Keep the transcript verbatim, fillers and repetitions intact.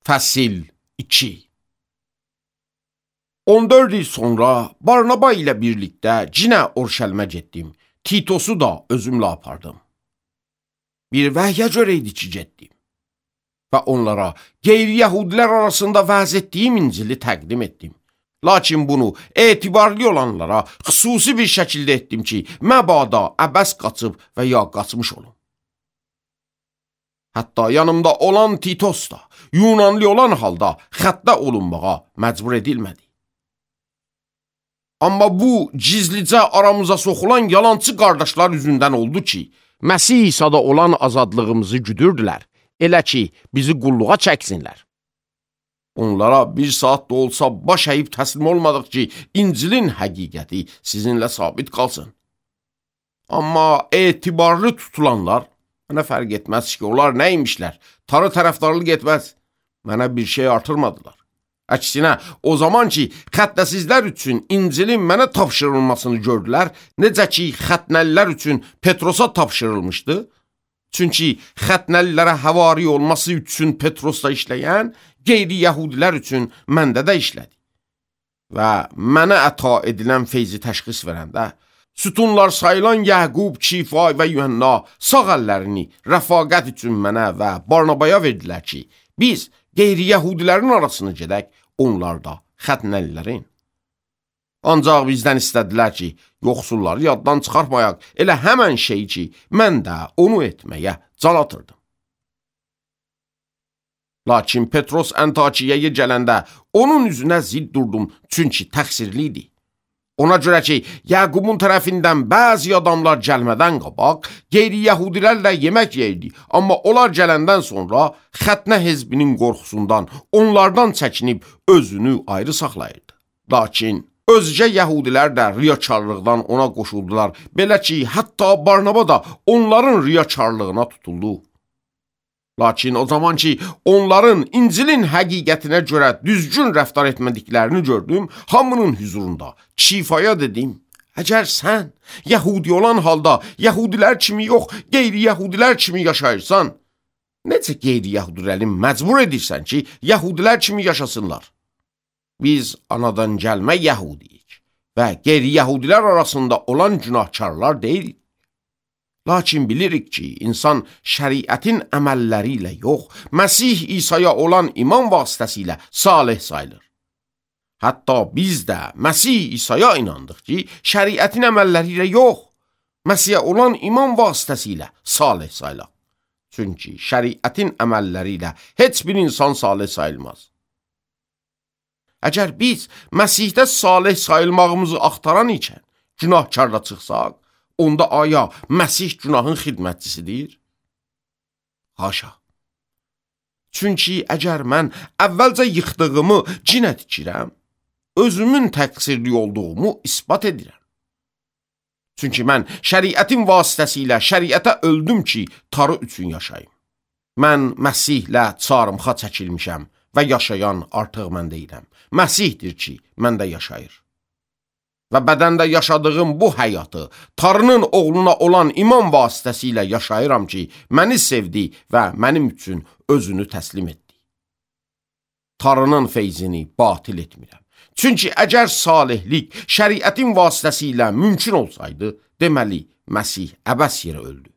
Fəsil iki. on dörd il sonra Barnaba ilə birlikdə cinə Orşəlmə getdim. Titosu da özümlə apardım. Bir vəhyə görə idi ki, getdim. Və onlara qeyri-yəhudilər arasında vəz etdiyim İncili təqdim etdim. Lakin bunu etibarlı olanlara xüsusi bir şəkildə etdim ki, məbada əbəs qaçıb və ya qaçmış olum. Hətta yanımda olan Titos da Yunanlı olan halda xəttə olunmağa məcbur edilmədi. Amma bu gizlicə aramıza soxulan yalancı qardaşlar üzündən oldu ki, Məsih İsa'da olan azadlığımızı güdürdülər, elə ki, bizi qulluğa çəksinlər. Onlara bir saat da olsa baş əyib təslim olmadıq ki, İncilin həqiqəti sizinlə sabit qalsın. Amma etibarlı tutulanlar, mənə fərq etməz ki, onlar nəymişlər, tarı tərəfdarlıq etməz, mənə bir şey artırmadılar. Əksinə, o zaman ki, xəttəsizlər üçün İncilin mənə tapşırılmasını gördülər, necə ki, xətnəlilər üçün Petrosa tapşırılmışdı. Çünki xətnəlilərə həvari olması üçün Petrosda işləyən, qeyri-yəhudilər üçün məndə də işlədi. Və mənə əta edilən feyzi təşxis verəndə, sütunlar sayılan Yəqub, Kifay və Yuhanna sağ əllərini rəfaqət üçün mənə və Barnabaya verdilər ki, biz qeyri-yəhudilərin arasını gedək, onlar da xətnəlilərin. Ancaq bizdən istədilər ki, yoxsulları yaddan çıxartmayaq, elə həmən şey ki, mən də onu etməyə can atırdım. Lakin Petros Antakiyaya gələndə onun üzünə zid durdum, çünki təqsirli idi. Ona görə ki, Yəqubun tərəfindən bəzi adamlar gəlmədən qabaq, qeyri-yəhudilərlə yemək yeyirdi, amma onlar gələndən sonra xətnə hezbinin qorxusundan, onlardan çəkinib özünü ayrı saxlayırdı. Lakin özcə yəhudilər də riyakarlıqdan ona qoşuldular, belə ki, hətta Barnaba da onların riyakarlığına tutuldu. Lakin o zaman ki, onların İncilin həqiqətinə görə düzgün rəftar etmədiklərini gördüm, hamının hüzurunda Kifaya dedim, əgər sən yəhudi olan halda yəhudilər kimi yox, qeyri-yəhudilər kimi yaşayırsan, necə qeyri-yəhudiləri məcbur edirsən ki, yəhudilər kimi yaşasınlar? Biz anadan gəlmə yəhudiyik və qeyri-yəhudilər arasında olan günahkarlar deyilik. Lakin bilirik ki, insan şəriətin əməlləri ilə yox, Məsih İsa'ya olan iman vasitəsilə salih sayılır. Hətta biz də Məsih İsa'ya inandıq ki, şəriətin əməlləri ilə yox, Məsihə olan iman vasitəsilə salih sayılır. Çünki şəriətin əməlləri ilə heç bir insan salih sayılmaz. Əgər biz Məsihdə salih sayılmağımızı axtaran ikən günahkarla çıxsaq, onda aya Məsih günahın xidmətçisidir? Haşa. Çünki əgər mən əvvəlcə yıxdığımı cinə tikirəm, özümün təqsirli olduğumu isbat edirəm. Çünki mən şəriətin vasitəsilə şəriətə öldüm ki, tarı üçün yaşayım. Mən Məsihlə çarmıxa çəkilmişəm və yaşayan artıq mən deyiləm. Məsihdir ki, məndə yaşayır. Və bədəndə yaşadığım bu həyatı Tarının oğluna olan iman vasitəsilə yaşayıram ki, məni sevdi və mənim üçün özünü təslim etdi. Tarının feyzini batil etmirəm. Çünki əgər salihlik şəriətin vasitəsilə mümkün olsaydı, deməli, Məsih əbəs yerə öldü.